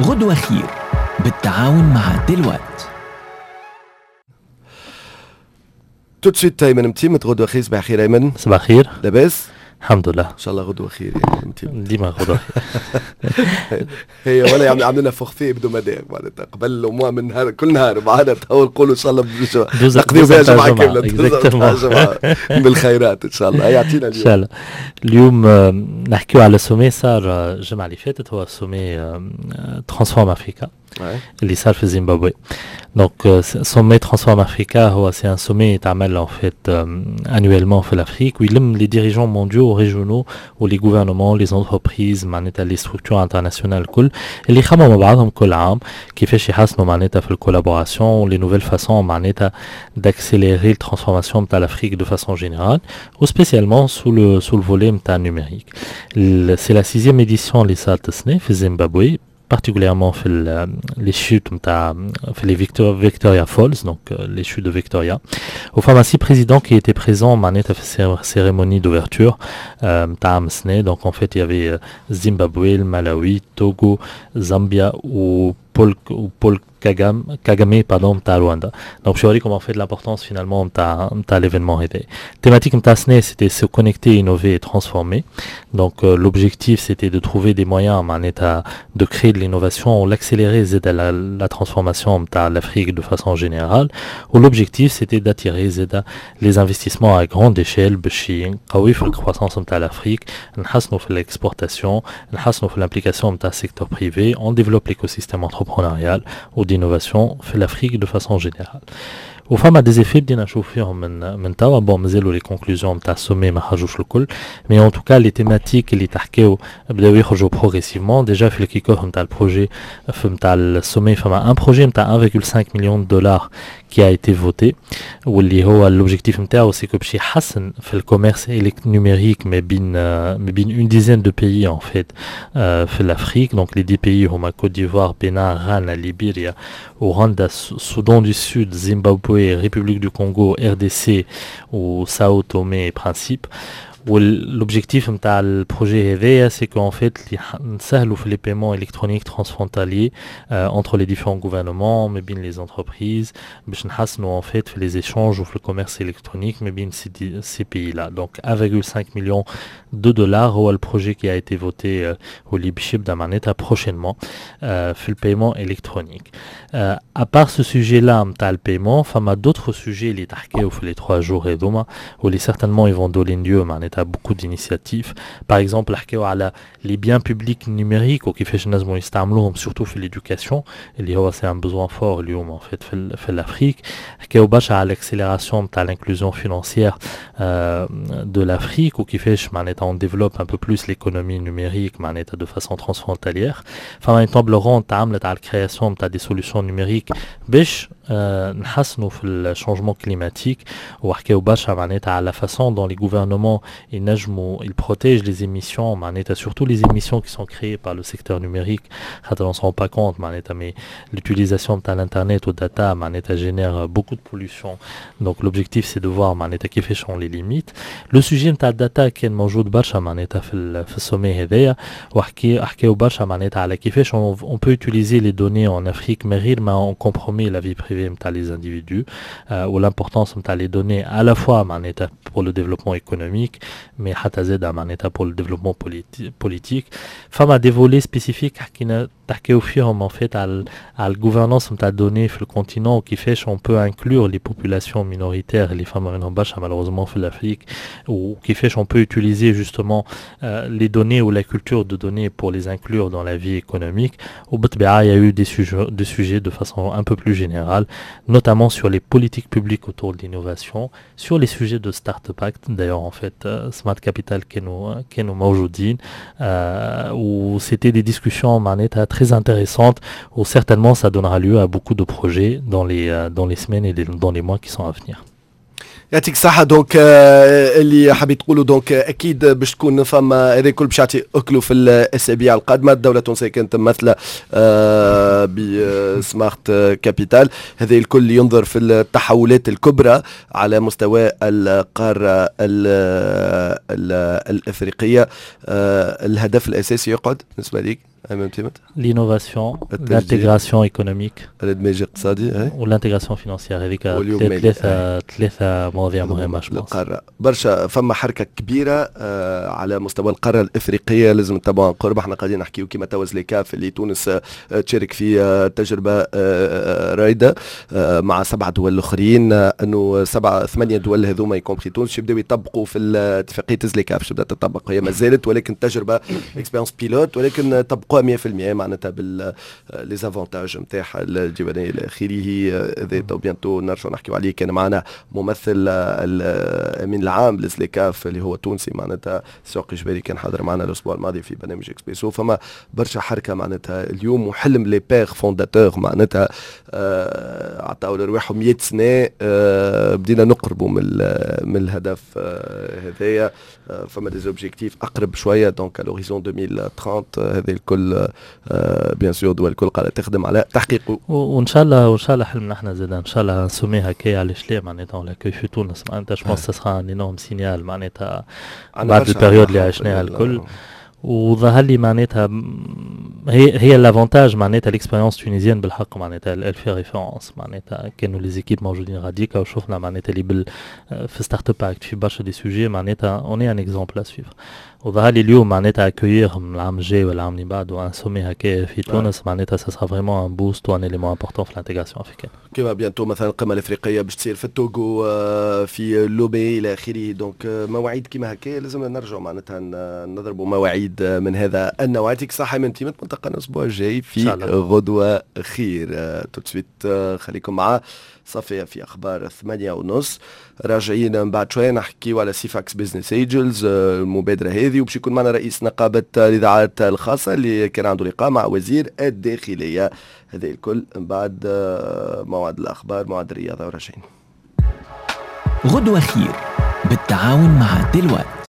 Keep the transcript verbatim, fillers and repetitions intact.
غدوة خير بالتعاون مع Deloitte. tout de suite ايمن متيمت، غدوه خير. صباح الخير ايمن. صباح الخير. لاباس؟ الحمد لله. ان شاء الله غدوه خير يعني متيمت. ديما غدوه. هي ولا يعني عملنا forfait hebdomadaire معناتها قبل au من نهار، كل نهار معنا تو نقولوا ان شاء الله نقضيو بها جمعه كامله بالخيرات ان شاء الله. يعطينا اليوم ان شاء الله. اليوم نحكيو على sommet صار الجمعة اللي فاتت، هو sommet Transform Africa اللي صار في زيمبابوي. donc sommet Transform Africa هو c'est un sommet يتعمل en fait annuellement في l'Afrique ويلم les dirigeants mondiaux، régionaux و les gouvernements، les entreprises، معناتها les structures internationales الكل اللي يخمموا مع بعضهم كل عام كيفاش يحسنوا معناتها في ال collaboration، les nouvelles façons معناتها d'accélérer ال transformation نتاع l'Afrique de façon générale و spécialement sous le sous le volet نتاع ال numérique. c'est la sixième édition اللي صارت السنة في زيمبابوي، particulièrement في les chutes نتاع في les Victoria Falls، donc les chutes de Victoria. وفما six présidents qui étaient présents معناتها في ال cérémonie d'ouverture نتاع عام السنة. donc en fait il y avait Zimbabwe، Malawi، Togo، Zambia و Paul Paul Kagame Kagame pardon نتاع رواندا. donc باش نوريكم en fait l'importance finalement نتاع نتاع l'événement هذا. thématique نتاع السنة c'était se connecter، innover et transformer. donc euh, l'objectif c'était de trouver des moyens معناتها de créer de l'innovation ou l'accélérer زاد la, la transformation نتاع l'Afrique de façon générale، و l'objectif c'était d'attirer زاد les investissements à grande échelle باش نقوي في ال croissance نتاع l'Afrique، نحسنوا في l'exportation، نحسنوا في l'implication نتاع secteur privé، on développe l'écosystème entrepreneurial ou d'innovation في l'Afrique de façon générale. وفما des effets بدينا نشوف فيهم من من توا. bon مازالوا les conclusions نتاع ال sommet ما خرجوش الكل، mais en tout cas les thématiques اللي تحكيو بداو يخرجوا progressivement. déjà في ال kick-off نتاع ال projet نتاع ال sommet فما un projet نتاع واحد فاصلة خمسة million dollars qui a été voté، واللي هو l'objectif نتاعو c'est que باش يحسن في ال commerce numérique ما بين ما بين une dizaine de pays en fait في l'Afrique. donc les dix pays هما Côte d'Ivoire، Bénin، Ghana، Libéria، Ouganda، Soudan du Sud، Zimbabwe، République du Congo، RDC و Sao Tomé et Principe. l'objectif نتاع ال projet هذايا c'est qu'en fait نسهلوا في les paiements électroniques transfrontaliers entre les différents gouvernements، ما بين les entreprises، باش نحسنوا en fait في les échanges وفي ال commerce électronique ما بين ces ces pays-là. donc واحد فاصلة خمسة million de dollars هو ال projet qui a été voté واللي باش يبدا معناتها prochainement في ال paiement électronique. à part ce sujet-là نتاع ال paiement، فما d'autres sujets اللي تحكيو في les trois jours هذوما واللي certainement ils vont donner lieu معناتها beaucoup d'initiatives. Par exemple، حكيو على les biens publics numériques وكيفاش نجموا يستعملوهم surtout في l'éducation اللي هو c'est un besoin fort اليوم en fait في, في l'Afrique. حكيو برشا على l'accélération نتاع l'inclusion financière euh, de l'Afrique وكيفاش معناتها on développe un peu plus l'économie numérique معناتها de façon transfrontalière. فما une table ronde تعملت على ال création نتاع des solutions numériques باش نحسنوا في ال changement climatique، وحكاو برشا معناتها على la façon dont les gouvernements ينجموا ils protègent les émissions معناتها surtout les émissions qui sont créées par le secteur numérique، خاطر on s'en rend pas compte معناتها mais l'utilisation نتاع الانترنت وال data معناتها génère beaucoup de pollution. donc l'objectif c'est de voir معناتها كيفاش on les limite. le sujet نتاع ال data كان موجود برشا معناتها في في ال sommet هذايا، وحكي حكاو برشا معناتها على كيفاش on peut utiliser les données en Afrique من غير ما on compromet la vie privée نتاع les individus، و l'importance نتاع les données à la fois معناتها pour le développement économique mais حتى زاد معناتها pour le développement politique. فما des volets spécifiques حكينا تحكيو فيهم en fait على على ال gouvernance نتاع données في ال continent وكيفاش on peut inclure les populations minoritaires اللي فما منهم برشا malheureusement في l'Afrique، وكيفاش on peut utiliser justement euh, les données ou la culture de données pour les inclure dans la vie économique. وبالطبيعة il y a eu des sujets, des sujets de façon un peu plus générale، notamment sur les politiques publiques autour de l'innovation، sur les sujets de Startup Act. D'ailleurs en fait euh, Smart Capital كانوا كانوا موجودين euh, و c'était des discussions معناتها très intéressantes où certainement ça donnera lieu à beaucoup de projets dans les, dans les semaines et les, dans les mois qui sont à venir. يعطيك الصحة. donc اللي حبيت تقولوا donc اكيد باش تكون فما هذا الكل باش يعطي اكلوا في الاسابيع القادمة. الدولة التونسية كانت ممثلة ب Smart Capital. هذا الكل ينظر في التحولات الكبرى على مستوى القارة ال ال الافريقية. الهدف الاساسي يقعد بالنسبة لك L'innovation، l'intégration économique، الادماج الاقتصادي، و l'intégration financière. هذيك ثلاثة ثلاثة مواضيع مهمة. القارة برشا، فما حركة كبيرة آه، على مستوى القارة الافريقيه، لازم نتبعوا عن قرب. احنا قاعدين نحكيو كيما توا زليكاف اللي تونس آه، تشارك في آه، تجربه رايده مع سبعة دول الاخرين، انه سبعة ثمانية دول هذوما y compris تونس يبداو يطبقوا في اتفاقية زليكاف. تبدا تطبق، هي ما زالت ولكن تجربه expérience pilote، ولكن طبقوها مية في المية معناتها بال les avantages نتاعها الجبلية الى اخره. هذا تو bientôt نرجعوا نحكيو عليه. كان معنا ممثل الامين العام لزليكاف اللي هو تونسي، معناتها سوقي جبالي، كان حاضر معنا الاسبوع الماضي في برنامج اكسبريسو. فما برشا حركة معناتها اليوم، وحلم les pères fondateurs معناتها آه، عطاو لرواحهم مية سنه، آه، بدينا نقربوا من من الهدف آه، هذايا. فما des objectifs اقرب شويه، donc à l'horizon ألفين وثلاثين. هذه الكل bien sûr دول الكل قاعدة تخدم على تحقيقه. وان شاء الله، وان شاء الله حلمنا احنا زاد ان شاء الله sommet هكايا، علاش لا؟ معناتها on l'accueille في تونس، معناتها je pense ça sera un énorme signal معناتها بعد ال période اللي عشناها الكل. وظهر لي معناتها هي هي l'avantage معناتها l'expérience tunisienne بالحق معناتها elle fait référence. معناتها كانوا les équipes موجودين غاديكا وشفنا معناتها اللي بال في Startup Act، في برشا des sujets معناتها on est un exemple à suivre. وظهر لي اليوم معناتها accueillir العام الجاي ولا العام اللي بعده un sommet هكا في تونس معناتها ça sera vraiment un boost و un élément important في l'intégration africaine. كيما bientôt مثلا القمه الافريقية باش تصير في التوغو، آه، في لومي الى اخره. donc آه، مواعيد كيما هكا لازم نرجعوا معناتها نضربوا مواعيد من هذا النوع. يعطيك الصحة من تيمة، نلتقى الاسبوع الجاي في غدوه خير. tout de suite خليكم مع صفية في أخبار ثمانية ونص. راجعين من بعد شوية نحكيو على سيفاكس Business Angels، المبادرة هذه، وباش يكون معنا رئيس نقابة الإذاعات الخاصة اللي كان عنده لقاء مع وزير الداخلية. هذا الكل من بعد آه، موعد الأخبار، موعد الرياضة، وراجعين. غدوة خير بالتعاون مع دلوقتي.